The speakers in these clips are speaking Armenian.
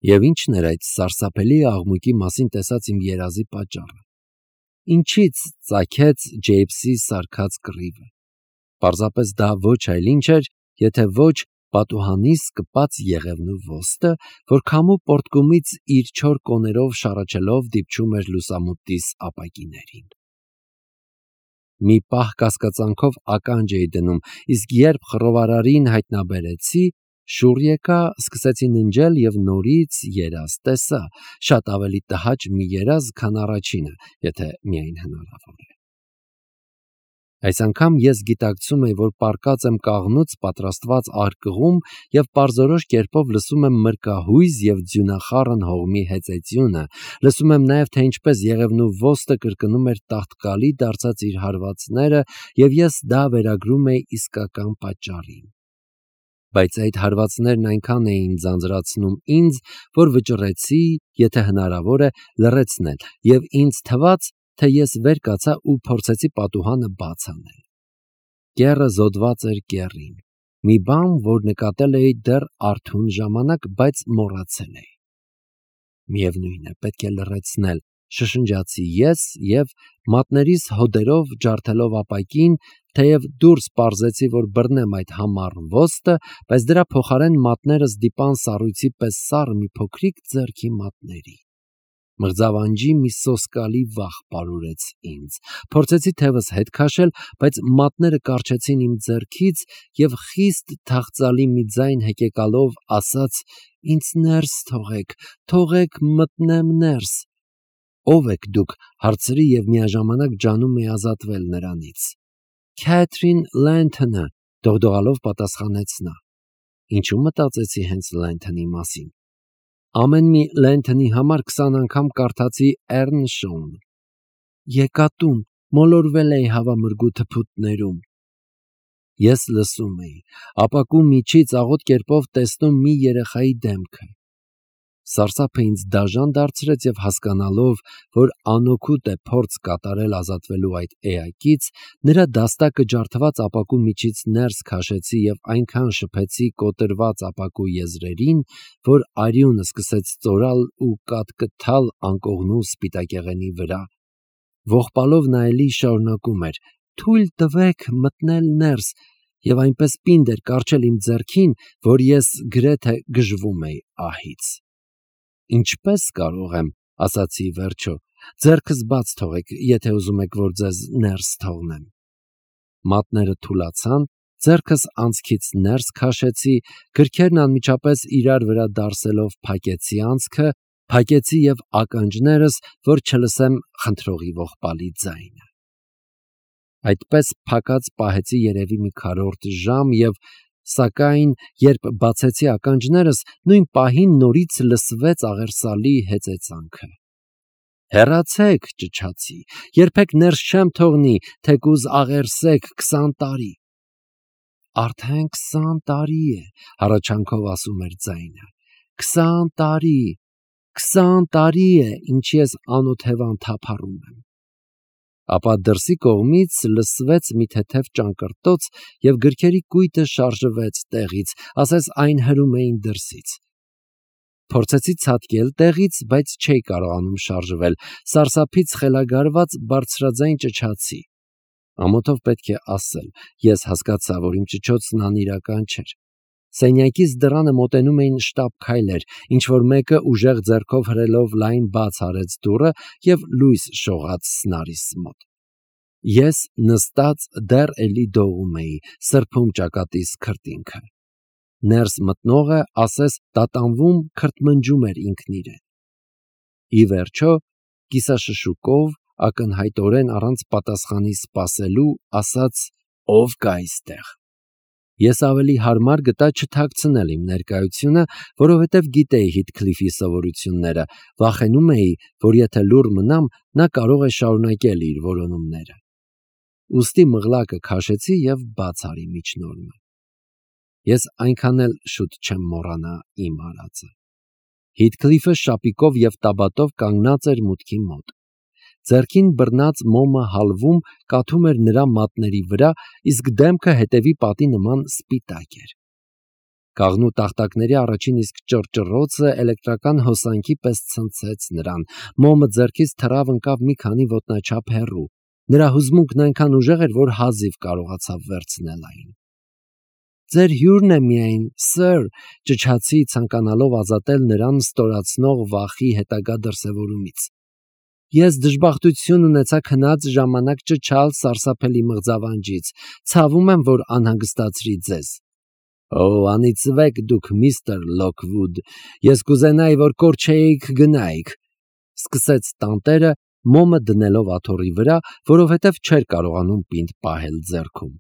Եվ ի՞նչն էր այդ սարսափելի աղմուկի մասին տեսած իմ երազի պատճառը։ Ինչից ծագեց Ջեյմսի սարքած կռիվը։ Պարզապես դա ոչ այլ ինչ էր, եթե ոչ պատուհանիս կպած եղևնու ոստ, որ քամու պոռթկումից իր չոր կոներով շառաչելով դիպչում էր լուսամուտիս ապակիներին։ Մի պահ կասկածանքով ականջ էի դնում, իսկ երբ խռովարարին հայտնաբերեցի, շուռ եկա, սկսեցի ննջել և նորից երազ տեսա, շատ ավելի տհաճ մի երազ, քան առաջինը, եթե միայն հնարավոր է։ Այս անգամ ես գիտակցում էի, որ պառկած եմ կաղնուց պատրաստված արկղում և պարզորոշ կերպով լսում եմ մրկահույզ և ձյունախառն հողմի հեծեծյունը, լսում եմ նաև, թե ինչպես եղևնու ոստը կրկնում էր տաղտկալի դարձած իր հարվածները, և ես դա վերագրում էի իսկական պատճառին։ Բայց այդ հարվածներն այնքան էին ձանձրացնում ինձ, որ վճռեցի, եթե հնարավոր է, լռեցնել, և ինձ թվաց, թե ես վեր կացա ու փորձեցի պատուհանը բաց անել։ Կեռը զոդված էր կեռին, մի բան, որ նկատել էի դեռ արթուն ժամանակ, բայց մոռացել էի։ Միևնույն է, պետք է լռեցնել, շշնջացի ես և մատներիս հոդերով ջարդելով ապակին, թեև դուրս պարզեցի, որ բռնեմ այդ համառ ոստը, բայց դրա փոխարեն մատներս դիպան սառույցի պես սառը մի փոքրիկ ձեռքի մատների։ Մղձավանջի մի սոսկալի վախ պարուրեց ինձ։ Փորձեցի թևս հետ քաշել, բայց մատները կառչեցին իմ ձեռքից և խիստ թախծալի մի ձայն հեկեկալով ասաց. «Ինձ ներս թողեք, թողեք մտնեմ ներս»։ «Ո՞վ եք դուք», հարցրի և միաժամանակ ջանում էի ազատվել նրանից։ «Քեթրին Լենթոնը», դողդողալով պատասխանեց նա։ Ինչու մտածեցի հենց Լենթոնի մասին։ Ամեն մի Լենթոնի համար 20 անգամ կարդացի Էռնշոուն։ Եկա տուն, մոլորվել էի հավամրգու թփուտներում։ Ես լսում էի, ապակու միջից աղոտ կերպով տեսնում մի երեխայի դեմքը։ Սարսափը ինձ դաժան դարձրեց և հասկանալով, որ անօգուտ է փորձ կատարել ազատվելու այդ էակից, նրա դաստակը ջարդված ապակու միջից ներս քաշեցի և այնքան շփեցի կոտրված ապակու եզրերին, որ արյունը սկսեց ծորալ ու կատկթալ անկողնու սպիտակեղենի վրա։ Ողբալով նա էլի շարունակում էր. «Թույլ տվեք մտնել ներս», և այնպես պինդ էր կառչել իմ ձեռքին, որ ես գրեթե գժվում էի ահից։ «Ինչպե՞ս կարող եմ», ասացի ի վերջո, «ձեռքս բաց թողեք, եթե ուզում եք, որ ձեզ ներս թողնեմ»։ Մատները թուլացան, ձեռքս անցքից ներս քաշեցի, գրքերն անմիջապես իրար վրա դարսելով փակեցի անցքը, փակեցի և ականջներս, որ չլսեմ խնդրողի ողբալի ձայնը։ Այդպես փակած պահեցի երևի մի քառորդ ժամ և, սակայն, երբ բացեցի ականջներս, նույն պահին նորից լսվեց աղերսալի հեծեծանքը։ «Հեռացեք», ճչացի, «երբեք ներս չեմ թողնի, թեկուզ աղերսեք 20 տարի»։ «Արդեն 20 տարի է», հառաչանքով ասում էր ձայնը, 20 տարի, 20 տարի է, ինչ ես անօթևան թափառում եմ։ Ապա դրսի կողմից լսվեց մի թեթև ճանկռտոց, և գրքերի կույտը շարժվեց տեղից, ասես այն հրում էին դրսից։ Փորձեցի ցատկել տեղից, բայց չէի կարողանում շարժվել, սարսափից խելագարված բարձրաձայն ճչացի։ Ամոթով պետք է ասել, ես հասկացա, որ իմ ճչոցն անիրական չէր։ Սենյակիս դռանը մոտենում էին շտապ քայլեր, ինչ-որ մեկը ուժեղ ձեռքով հրելով լայն բաց արեց դուռը և լույս շողաց սնարիս մոտ։ Ես նստած դեռ էլի դողում էի, սրբում ճակատիս քրտինքը։ Ներս մտնողը, ասես տատանվում, քրթմնջում էր ինքն իրեն։ Ի վերջո, կիսաշշուկով, ակնհայտորեն առանց պատասխանի սպասելու, ասաց. «Ո՞վ կա այստեղ»։ Ես ավելի հարմար գտա չթաքցնել իմ ներկայությունը, որովհետև գիտեի Հիթքլիֆի սովորությունները, վախենում էի, որ եթե լուռ մնամ, նա կարող է շարունակել իր որոնումները։ Ուստի մղլակը քաշեցի և բաց արի միջնորմը։ Ես այնքան էլ շուտ չեմ մոռանա իմ արածը։ Հիթքլիֆը շապիկով և տաբատով կանգնած էր մուտքի մոտ։ Ձեռքին բռնած մոմը հալվում կաթում էր նրա մատների վրա, իսկ դեմքը հետևի պատի նման սպիտակ էր։ Կաղնու տախտակների առաջին իսկ ճռճռոցը էլեկտրական հոսանքի պես ցնցեց նրան։ Մոմը ձեռքից թռավ ընկավ մի քանի ոտնաչափ հեռու։ Նրա հուզմունքն այնքան ուժեղ էր, որ հազիվ կարողացավ վերցնել այն։ «Ձեր հյուրն է միայն, սըր», ճչացի, ցանկանալով ազատել նրան ստորացնող վախի հետագա դրսևորումից։ Ես դժբախտություն ունեցա քնած ժամանակ ճչալ սարսափելի մղձավանջից։ Ցավում եմ, որ անհանգստացրի ձեզ։ Անիծվեք դուք, միստր Լոքվուդ, ես կուզենայի, որ կորչեիք գնայիք, սկսեց տանտերը, մոմը դնելով աթոռի վրա, որովհետև չէր կարողանում պինդ պահել ձեռքում։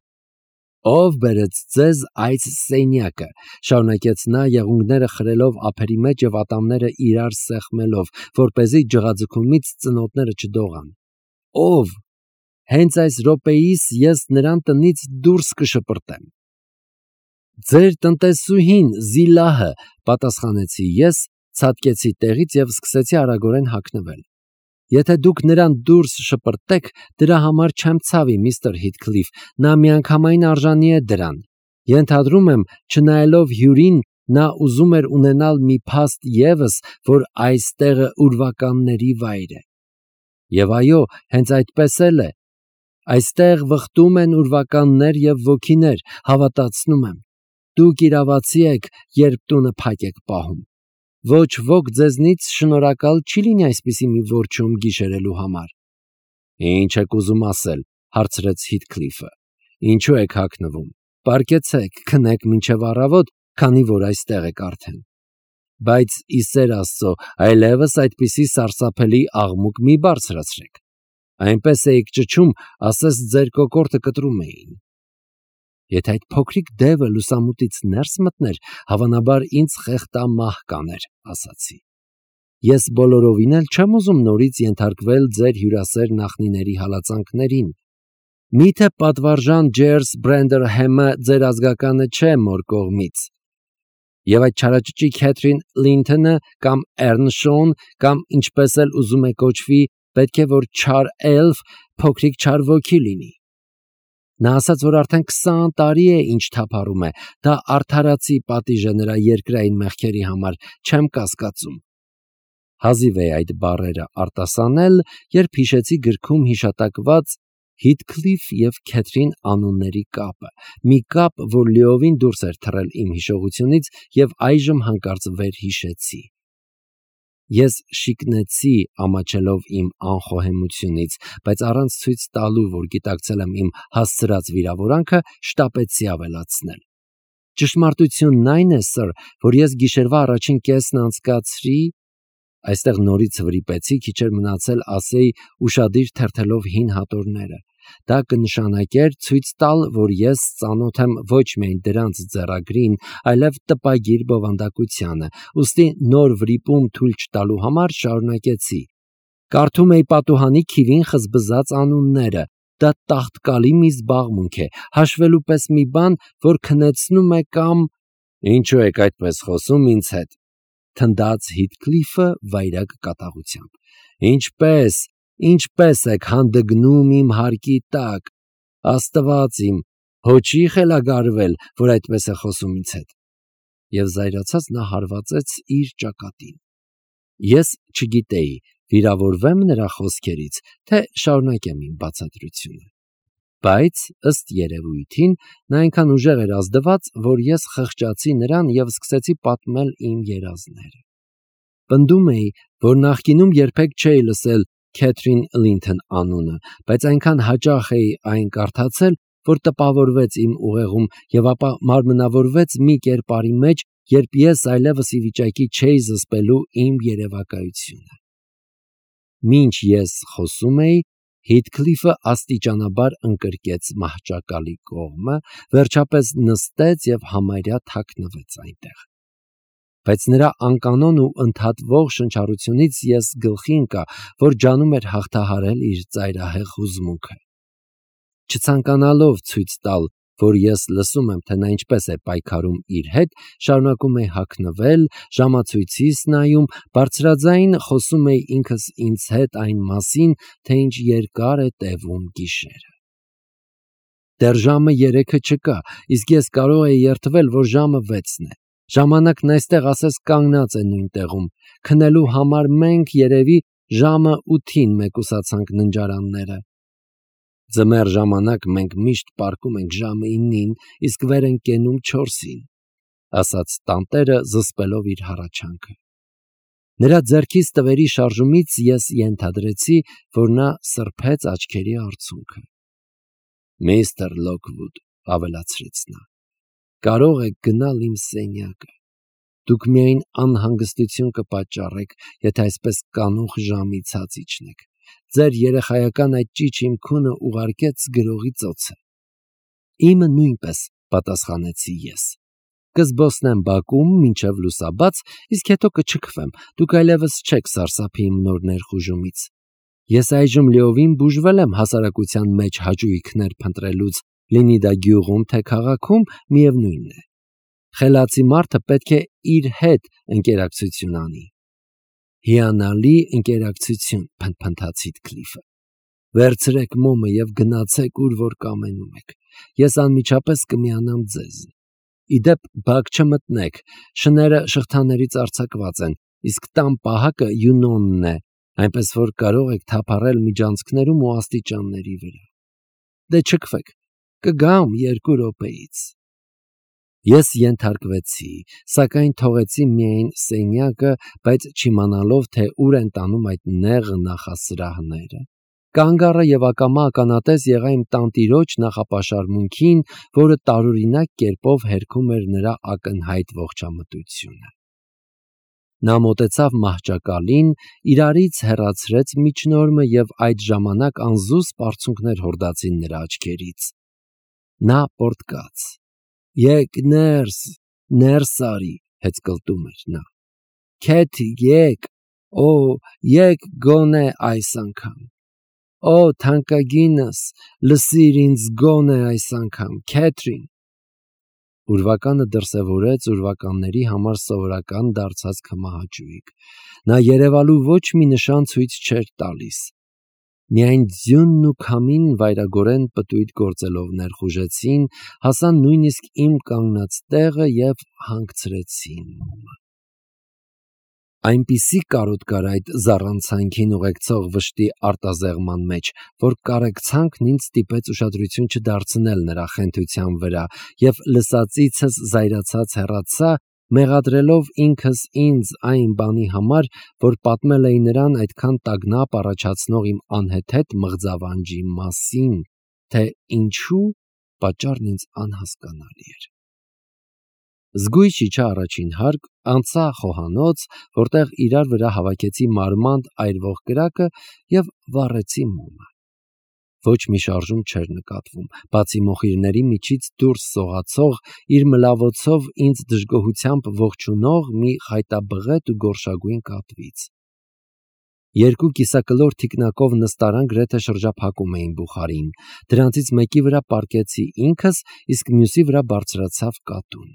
Ով բերեց ձեզ այս սենյակը, շարունակեց նա, եղունգները խրելով ափերի մեջ և ատամները իրար սեղմելով, որպեսզի ջղաձգումից ծնոտները չդողան։ Ով։ Հենց այս րոպեիս ես նրան տնից դուրս կշպրտեմ։ Ձեր տնտեսուհին, Զիլահը, պատասխանեցի ես, ցատկեցի տեղից և սկսեցի արագորեն հագնվել։ Եթե դուք նրան դուրս շպրտեք, դրա համար չեմ ցավի, միստր Հիթքլիֆ, նա միանգամայն արժանի է դրան։ Ենթադրում եմ, չնայելով հյուրին, նա ուզում էր ունենալ մի փաստ ևս, որ այս տեղը ուրվականների վայր է։ Եվ այո, հենց այդպես էլ է։ Այստեղ վխտում են ուրվականներ և ոգիներ, հավատացնում եմ։ Դուք իրավացի եք, երբ տունը փակ եք պահում։ Ոչ ոք ձեզնից շնորհակալ չի լինի այսպիսի մի որջում գիշերելու համար։ Ինչ եք ուզում ասել, հարցրեց Հիթքլիֆը։ Ինչու եք հագնվում։ Պարկեցեք, քնեք մինչև առավոտ, քանի որ այստեղ եք արդեն։ Բայց ի սեր Աստծո, այլևս այդպիսի սարսափելի աղմուկ մի բարձրացրեք։ Այնպես էիք ճչում, ասես ձեր կոկորդը կտրում էին։ Եթե այդ փոքրիկ դևը լուսամուտից ներս մտներ, հավանաբար ինձ խեղդամահ կաներ, ասացի։ Ես բոլորովին էլ չեմ ուզում նորից ենթարկվել ձեր հյուրասեր նախնիների հալածանքներին։ Միթե պատվարժան Ջերս Բրենդերհեմը ձեր ազգականը չէ մոր կողմից։ Եվ այդ չարաճճի Քեթրին Լինթոնը կամ Էռնշոուն կամ ինչպես էլ ուզում է կոչվի, պետք է որ չար էլֆ, փոքրիկ չար ոգի լինի։ Նա ասաց, որ արդեն 20 տարի է ինչ թափառում է, դա արդարացի պատիժ է նրա երկրային մեղքերի համար, չեմ կասկածում։ Հազիվ է այդ բառերը արտասանել, երբ հիշեցի գրքում հիշատակված Հիթքլիֆ և Քեթրին անունների կապը, մի կապ, որ լիովին դուրս էր թռել իմ հիշողությունից և այժմ հանկարծ վերհիշեցի։ Ես շիկնեցի, ամաչելով իմ անխոհեմությունից, բայց առանց ցույց տալու, որ գիտակցել եմ իմ հասցրած վիրավորանքը, շտապեցի ավելացնել։ Ճշմարտությունն այն է, սըր, որ ես գիշերվա առաջին կեսն անցկացրի, այստեղ նորից վրիպեցի, քիչ էր մնացել ասեի ուշադիր թերթելով հին հատորները։ Դա կնշանակեր ցույց տալ, որ ես ծանոթ եմ ոչ միայն դրանց ձեռագրին, այլև տպագիր բովանդակությանը, ուստի նոր վրիպում թույլ չտալու համար շարունակեցի։ Կարդում էի պատուհանի քիվին խզբզած անունները, դա տաղտկալի մի զբաղմունք է, հաշվելու պես մի բան, որ քնեցնում է կամ… Ինչու եք այդպես խոսում ինձ հետ, թնդաց Հիթքլիֆը վայրագ կատաղությամբ։ Ինչպես եք հանդգնում իմ հարկի տակ, Աստված իմ, հոչի խելագարվել, որ այդպես է խոսում ինձ հետ։ Եվ զայրացած նա հարվածեց իր ճակատին։ Ես չգիտեի, վիրավորվեմ նրա խոսքերից, թե շարունակեմ իմ բացատրությունը։ Բայց, ըստ երևույթին, նա այնքան ուժեղ էր ազդված, որ ես խղճացի նրան և սկսեցի պատմել իմ երազները։ Պնդում էի, որ նախկինում երբեք չէի լսել Քեթրին Լինթոն անունը, բայց այնքան հաճախ էի այն կարդացել, որ տպավորվեց իմ ուղեղում և ապա մարմնավորվեց մի կերպարի մեջ, երբ ես այլևս ի վիճակի չէի զսպելու իմ երևակայությունը։ Մինչ ես խոսում էի, Հիթքլիֆը աստիճանաբար ընկրկեց մահճակալի կողմը, վերջապես նստեց և համարյա թաքնվեց այնտեղ։ Բայց նրա անկանոն ու ընդհատվող շնչառությունից ես գլխի ընկա, որ ջանում էր հաղթահարել իր ծայրահեղ հուզմունքը։ Չցանկանալով ցույց տալ, որ ես լսում եմ, թե նա ինչպես է պայքարում իր հետ, շարունակում էի հագնվել, ժամացույցիս նայում, բարձրաձայն խոսում էի ինքս ինձ հետ այն մասին, թե ինչ երկար է տևում գիշերը։ Դեռ ժամը 3-ը չկա, իսկ ես կարող էի երդվել, որ ժամը 6-ն է։ Ժամանակն այստեղ ասես կանգնած է նույն տեղում, քնելու համար մենք երևի ժամը 8-ին մեկուսացանք ննջարանները։ Ձմեռ ժամանակ մենք միշտ պառկում ենք ժամը 9-ին, իսկ վեր ենք կենում 4-ին, ասաց տանտերը զսպելով իր հառաչանքը։ Նրա ձեռքից տվերի շարժումից ես ենթադրեցի, որ նա սրբեց աչքերի արցունքը։ Միստր Լոքվուդ, ավելացրեց նա, կարող եք գնալ իմ սենյակը։ Դուք միայն անհանգստություն կպատճառեք, եթե այսպես կանուխ ժամի ցած իջնեք։ Ձեր երեխայական այդ ճիչ հիմքունը ուղարկեց գրողի ծոցը։ Իմը նույնպես, պատասխանեցի ես։ Կզբոսնեմ Բաքում մինչև լուսաբաց, իսկ հետո կչքվեմ։ Դուք այլևս չեք սարսափի իմ նոր ներխուժումից։ Ես այժմ լիովին բուժվել եմ հասարակության մեջ հաճույքներ փնտրելուց, լինի դա գյուղում թե քաղաքում, միևնույնն է։ Խելացի մարդը պետք է իր հետ ընկերակցություն անի։ Հիանալի ընկերակցություն, փնթփնթաց Հիթքլիֆը։ Վերցրեք մոմը եւ գնացեք ուր որ կամենում եք։ Ես անմիջապես կմիանամ ձեզ։ Իդեպ բակ չմտնեք, շները շղթաներից արձակված են, իսկ տան պահակը յունոնն է, այնպես որ կարող եք թափառել միջանցքներում ու աստիճանների վրա։ Դե չքվեք, կգամ 2 րոպեից։ Ես ենթարկվեցի, սակայն թողեցի միայն սենյակը, բայց չիմանալով, թե ուր են տանում այդ նեղ նախասրահները։ Կանգ առա եւ ակամա ականատես եղա իմ տանտիրոջ նախապաշարմունքին, որը տարօրինակ կերպով հերքում էր նրա ակնհայտ ողջամտությունը։ Նա մոտեցավ մահճակալին, իրարից հեռացրեց միջնորմը եւ այդ ժամանակ անզուսպ արցունքներ հորդացին նրա աչքերից։ Նա պոռթկաց։ Եկ ներս արի, հեծկլտում էր նա։ Քեթի, եկ, եկ գոնե այս անգամ։ Թանկագինս, լսիր ինձ գոնե այս անգամ, Քեթրին։ Ուրվականը դրսևորեց ուրվականների համար սովորական դարձած քմահաճույք։ Նա երևալու ոչ մի նշան ցույց չէր տալիս։ Միայն ձյունն ու քամին վայրագորեն պտույտ գործելով ներխուժեցին, հասան նույնիսկ իմ կանգնած տեղը եւ հանգցրեցին մոմը։ Այնպիսի կարոտ կար այդ զառանցանքին ուղեկցող վշտի արտազեղման մեջ, որ կարեկցանքն ինձ ստիպեց ուշադրություն չդարձնել նրա խենթության վրա եւ լսածիցս զայրացած հեռացա, մեղադրելով ինքս ինձ այն բանի համար, որ պատմել էի նրան այդքան տագնապ առաջացնող իմ անհեթեթ մղձավանջի մասին, թե ինչու պատճառն ինձ անհասկանալի էր։ Զգույշ իջա առաջին հարկ, անցա խոհանոց, որտեղ իրար վրա հավաքեցի մարմանդ այրվող կրակը եւ վառեցի մոմը։ Ոչ մի շարժում չէր նկատվում, բացի մոխիրների միջից դուրս սողացող, իր մլավոցով ինձ դժգոհությամբ ողջունող մի խայտաբղետ ու գորշագույն կատվից։ 2 կիսակլոր թիկնակով նստարան գրեթե շրջափակում էին բուխարին, դրանցից մեկի վրա պառկեցի ինքս, իսկ մյուսի վրա բարձրացավ կատուն։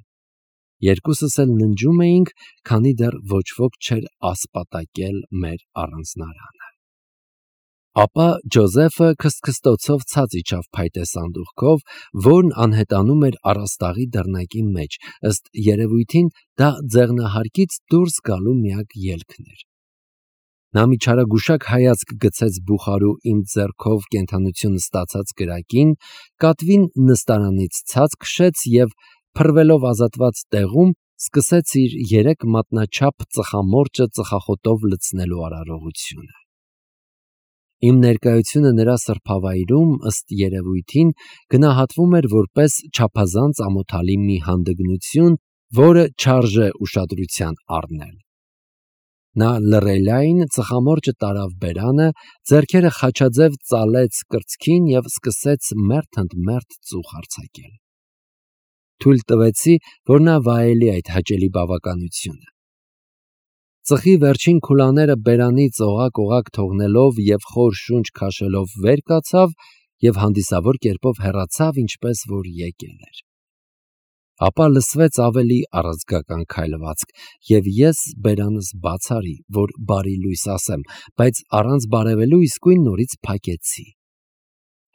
Երկուսս էլ ննջում էինք, քանի դեռ ոչ ոք չէր ասպատակել մեր առանձնարանը։ Ապա Ջոզեֆը քստքստոցով ցած իջավ փայտե սանդուղքով, որն անհետանում էր առաստաղի դռնակի մեջ, ըստ երևույթին դա ձեղնահարկից դուրս գալու միակ ելքն էր։ Նա մի չարագուշակ հայացք գցեց բուխարու իմ ձեռքով կենթանություն ստացած կրակին, կատվին նստարանից ցած քշեց եւ փռվելով ազատված տեղում սկսեց իր 3 մատնաչափ ծխամորճը ծխախոտով լցնելու արարողությունը։ Իմ ներկայությունը նրա սրբավայրում, ըստ երևույթին, գնահատվում էր որպես չափազանց ամոթալի մի հանդգնություն, որը չարժե ուշադրության առնել։ Նա լռելային ծխամորճը տարավ բերանը, ձեռքերը խաչաձև ծալեց կրծքին եւ սկսեց մերթ ընդ մերթ ծուխ արձակել։ Թույլ տվեցի, որ նա վայելի այդ հաճելի բավականությունը։ Ծխի վերջին քուլաները բերանից օղակ թողնելով եւ խոր շունչ քաշելով վեր կացավ եւ հանդիսավոր կերպով հեռացավ, ինչպես որ եկել էր։ Ապա լսվեց ավելի առազգական քայլվածք, եւ ես բերանս բաց արի, որ բարի լույս ասեմ, բայց առանց բարևելու իսկույն նորից փակեցի։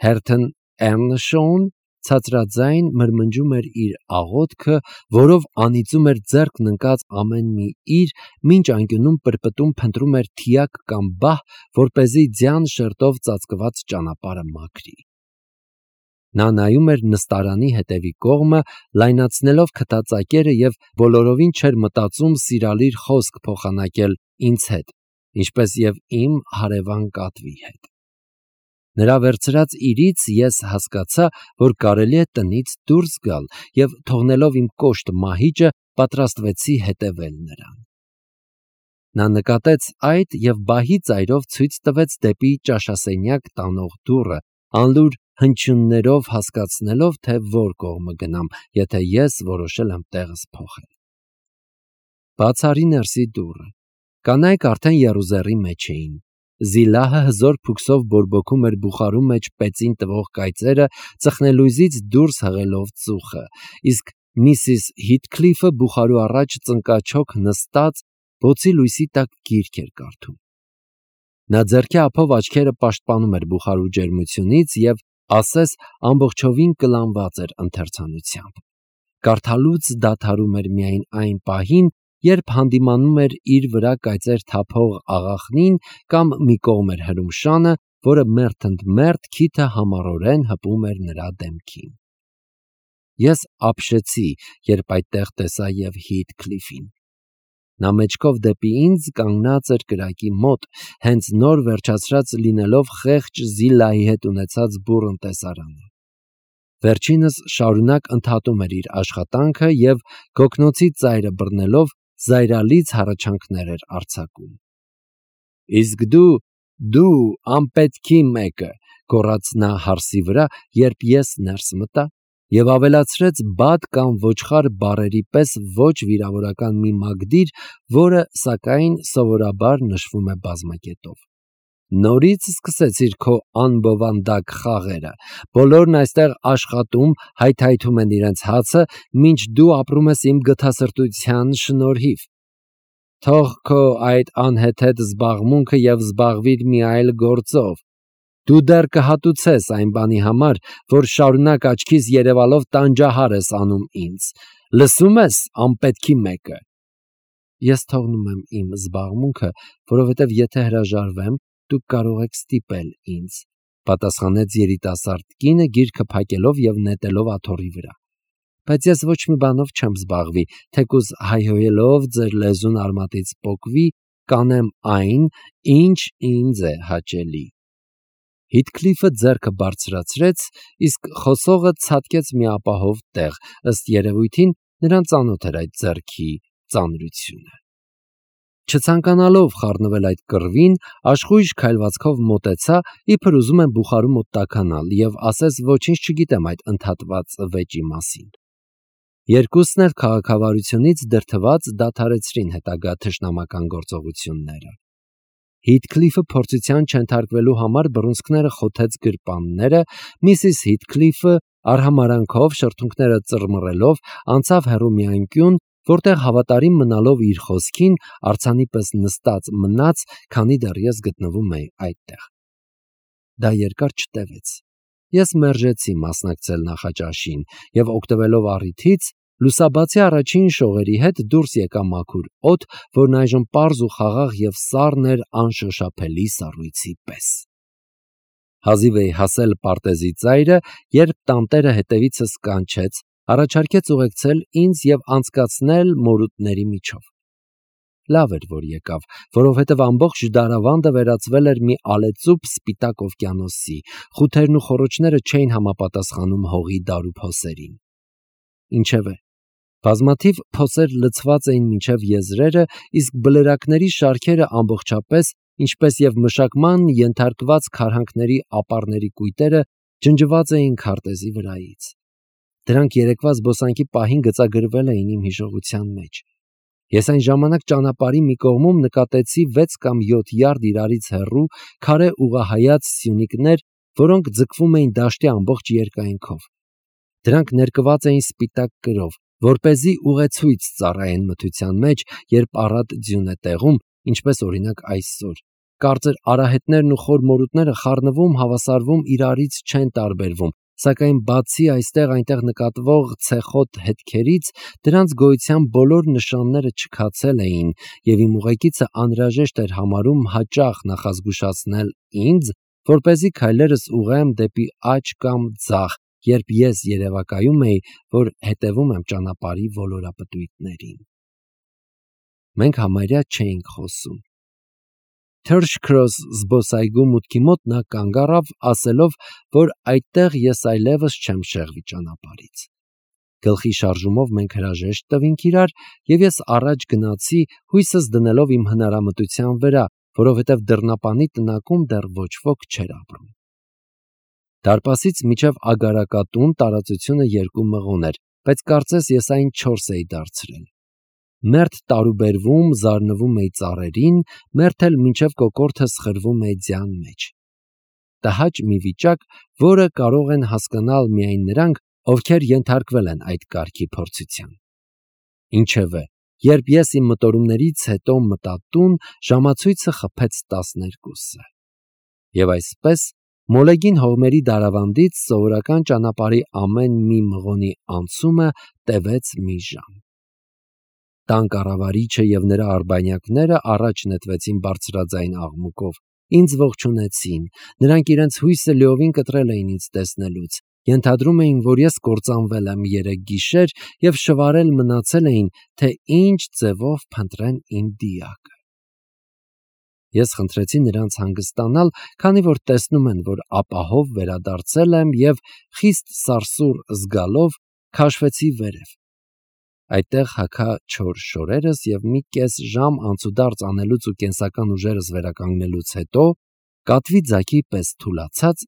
Հերթն Էրնշոուն ցածրաձայն մրմնջում էր իր աղոթքը, որով անիծում էր ձեռքն ընկած ամեն մի իր, մինչ անկյունում պրպտում փնտրում էր թիակ կամ բահ, որպեսզի ձյան շերտով ծածկված ճանապարհը մաքրի։ Նա նայում էր նստարանի հետևի կողմը, լայնացնելով քթածակերը և բոլորովին չէր մտածում սիրալիր խոսք փոխանակել ինձ հետ, ինչպես և իմ հարևան կատվի հետ։ Նրա վերցրած իրից ես հասկացա, որ կարելի է տնից դուրս գալ և թողնելով իմ կոշտ մահիճը պատրաստվեցի հետևել նրան։ Նա նկատեց այդ և բահի ծայրով ցույց տվեց դեպի ճաշասենյակ տանող դուռը, անլուր հնչյուններով հասկացնելով, թե որ կողմը գնամ, եթե ես որոշել եմ տեղս փոխել։ Բաց արի ներսի դուռը։ Կանայք արդեն եռուզեռի մեջ էին։ Զիլահը հզոր փուքսով բորբոքում էր բուխարու մեջ պեծին տվող կայծերը, ծխնելույզից դուրս հղելով ծուխը, իսկ Միսիս Հիթքլիֆը բուխարու առաջ ծնկաչոք նստած բոցի լույսի տակ գիրք էր կարդում։ Նա ձեռքի ափով աչքերը պաշտպանում էր բուխարու ջերմությունից և ասես ամբողջովին կլանված էր ընթերցանությամբ։ Կարդալուց դադարում էր միայն այն պահին, երբ հանդիմանում էր իր վրա կայծեր թափող աղախնին կամ մի կողմ էր հրում շանը, որը մերթ ընդ մերթ քիթը համառորեն հպում էր նրա դեմքին։ Ես ապշեցի, երբ այդտեղ տեսա և Հիթքլիֆին։ Նա մեջքով դեպի ինձ կանգնած էր կրակի մոտ, հենց նոր վերջացրած լինելով խեղճ Զիլայի հետ ունեցած բուռն տեսարանը։ Վերջինս շարունակ ընդհատում էր իր աշխատանքը և գոգնոցի ծայրը բռնելով զայրալից հառաչանքներ էր արձակում։ Իսկ դու անպետքի մեկը, գոռաց նա հարսի վրա, երբ ես ներս մտա, և ավելացրեց բադ կամ ոչխար բառերի պես ոչ վիրավորական մի մագդիր, որը, սակայն, սովորաբար նշվում է բազմակետով։ Նորից սկսեցիր քո անբովանդակ խաղերը, բոլորն այստեղ աշխատում, հայթայթում են իրենց հացը, մինչ դու ապրում ես իմ գթասրտության շնորհիվ։ Թող քո այդ անհեթեթ զբաղմունքը և զբաղվիր մի այլ գործով։ Դու դեռ կհատուցես այն բանի համար, որ շարունակ աչքիս երևալով տանջահար ես անում ինձ։ Լսում ես, անպետքի մեկը։ Ես թողնում եմ իմ զբաղմունքը, որովհետև եթե հրաժարվեմ, դուք կարող եք ստիպել ինձ, պատասխանեց երիտասարդ կինը գիրքը փակելով և նետելով աթոռի վրա։ Բայց ես ոչ մի բանով չեմ զբաղվի, թեկուզ հայհոյելով ձեր լեզուն արմատից պոկվի, կանեմ այն, ինչ ինձ է հաճելի։ Հիթքլիֆը ձեռքը բարձրացրեց, իսկ խոսողը ցատկեց մի ապահով տեղ, ըստ երևույթին նրան ծանոթ էր այդ ձեռքի ծանրությունը։ Չցանկանալով խառնվել այդ կռվին, աշխույժ քայլվածքով մոտեցա, իբր ուզում եմ բուխարու մոտ տաքանալ և ասես ոչինչ չգիտեմ այդ ընդհատված վեճի մասին։ Երկուսն էլ քաղաքավարությունից դրդված դադարեցրին հետագա թշնամական գործողությունները։ Հիթքլիֆը փորձության չենթարկվելու համար բռունցքները խոթեց գրպանները, Միսիս Հիթքլիֆը արհամարանքով շրթունքները ծռմռելով անցավ հեռու մի անկյուն, որտեղ հավատարիմ մնալով իր խոսքին արձանի պես նստած մնաց, քանի դեռ ես գտնվում էի այդտեղ։ Դա երկար չտևեց։ Ես մերժեցի մասնակցել նախաճաշին և օգտվելով առիթից լուսաբացի առաջին շողերի հետ դուրս եկա մաքուր օդ, որն այժմ պարզ ու խաղաղ և սառն էր անշոշափելի սառույցի պես։ Հազիվ էի հասել պարտեզի ծայրը, երբ տանտերը հետևիցս կանչեց, առաջարկեց ուղեկցել ինձ և անցկացնել մորուտների միջով։ Լավ էր, որ եկավ, որովհետև ամբողջ դարավանդը վերածվել էր մի ալեծուփ սպիտակ օվկիանոսի, խութերն ու խոռոչները չէին համապատասխանում հողի դարու փոսերին։ Ինչևէ, բազմաթիվ փոսեր լցված էին մինչև եզրերը, իսկ բլրակների շարքերը ամբողջապես, ինչպես և մշակման ենթարկված քարհանքների ապարների կույտերը ջնջված էին քարտեզի վրայից։ Դրանք երեկվա զբոսանքի պահին գծագրվել էին իմ հիշողության մեջ։ Ես այն ժամանակ ճանապարհի մի կողմում նկատեցի 6 կամ 7 յարդ իրարից հեռու քարե ուղղահայաց սյունիկներ, որոնք ձգվում էին դաշտի ամբողջ երկայնքով։ Դրանք ներկված էին սպիտակ կրով, որպեսզի ուղեցույց ծառայեն մթության մեջ, երբ առատ ձյուն է տեղում, ինչպես օրինակ այսօր։ Կարծր արահետներն ու խոր մորուտները խառնվում, հավասարվում, իրարից չեն տարբերվում, սակայն բացի այստեղ-այնտեղ նկատվող ցեխոտ հետքերից, դրանց գոյության բոլոր նշանները չքացել էին, և իմ ուղեկիցը անհրաժեշտ էր համարում հաճախ նախազգուշացնել ինձ, որպեսզի քայլերս ուղղեմ դեպի աջ կամ ձախ, երբ ես երևակայում էի, որ հետևում եմ ճանապարհի ոլորապտույտներին։ Մենք համարյա չէինք խոսում։ Թերշքրոս զբոսայգու մուտքի մոտ նա կանգ առավ, ասելով, որ այդտեղ ես այլևս չեմ շեղվի ճանապարհից։ Գլխի շարժումով մենք հրաժեշտ տվինք իրար, և ես առաջ գնացի, հույսս դնելով իմ հնարամտության վրա, որովհետև դռնապանի տնակում դեռ ոչ ոք չէր ապրում։ Դարպասից մինչև Ագարակատուն տարածությունը 2 մղոն էր, բայց կարծես ես այն 4 էի դարձրել։ Մերթ տարուբերվում, զարնվում էի ծառերին, մերթ էլ մինչև կոկորդս խրվում էի ձյան մեջ։ Տհաճ մի վիճակ, որը կարող են հասկանալ միայն նրանք, ովքեր ենթարկվել են այդ կարգի փորձության։ Ինչևէ, երբ ես իմ մտորումներից հետո մտա տուն, ժամացույցը խփեց 12-ը։ Եվ այսպես, մոլեգին հողմերի դարավանդից սովորական ճանապարհի ամեն մի մղոնի անցումը տևեց մի ժամ։ Տան կառավարիչը և նրա արբանյակները առաջ նետվեցին բարձրաձայն աղմուկով, ինձ ողջունեցին, նրանք իրենց հույսը լիովին կտրել էին ինձ տեսնելուց, ենթադրում էին, որ ես կործանվել եմ 3 գիշեր և շվարել մնացել էին, թե ինչ ձևով փնտրեն իմ դիակը։ Ես խնդրեցի նրանց հանգստանալ, քանի որ տեսնում են, որ ապահով վերադարձել եմ և խիստ սարսուռ զգալով քաշվեցի վերև։ Այդտեղ հագա չոր շորերս և մի կես ժամ անցուդարձ անելուց ու կենսական ուժերս վերականգնելուց հետո, կատվի ձագի պես թուլացած,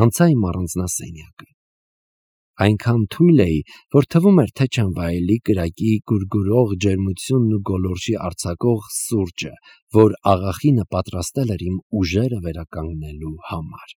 անցա իմ առանձնասենյակը։ Այնքան թույլ էի, որ թվում էր, թե չեմ վայելի կրակի գուրգուրող ջերմությունն ու գոլորշի արձակող սուրճը, որ աղախինը պատրաստել էր իմ ուժերը վերականգնելու համար։